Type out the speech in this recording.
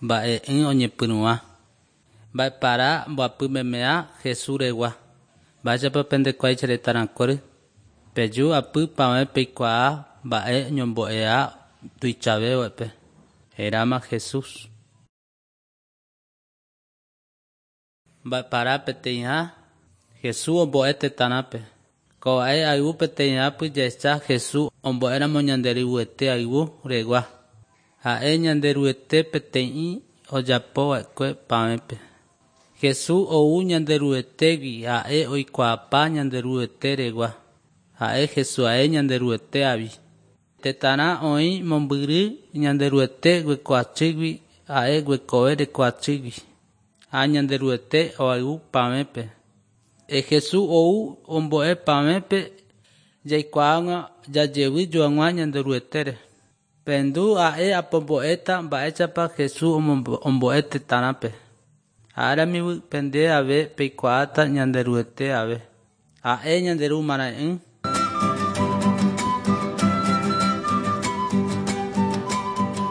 Mba'e'ỹ oñepyrũva. Mba'epara mboapy memea Jesús regua. Mba'éichapa pendekuái che retãrakuéry. Peju apy pavẽ peikuaa mba'e ñombo'eha tuichavévape. Heráma Jesús. Mba'epara peteĩha Jesús ombo'e tetãrãpe. Ko'ápe ayvu peteĩhápy jahecha Jesús ombo'éramo Ñanderuete ayvu regua. Ha'e Ñanderuete peteĩ ojapova'ekue pavẽpe. Jesús ou Ñanderuetégui ha'e oikuaapa Ñanderuete regua. Ha'e Jesús ae Ñanderuete avi. Tetãrã oĩ mombyry Ñanderuete guekoachýgui ha'e guekove rekoachýgui. Ha Ñanderuete oayvu pavẽpe. Jesús ou ombo'e pavẽpe jaikuaág̃a jajevy joag̃ua Ñanderuetére. Pendu ha'e apombo'éta mba'éichapa Jesús ombo'e tetãrãpe. Áramivy pende ave peikuaáta Ñanderuete ave. Ha'e Ñanderu marãe'ỹ.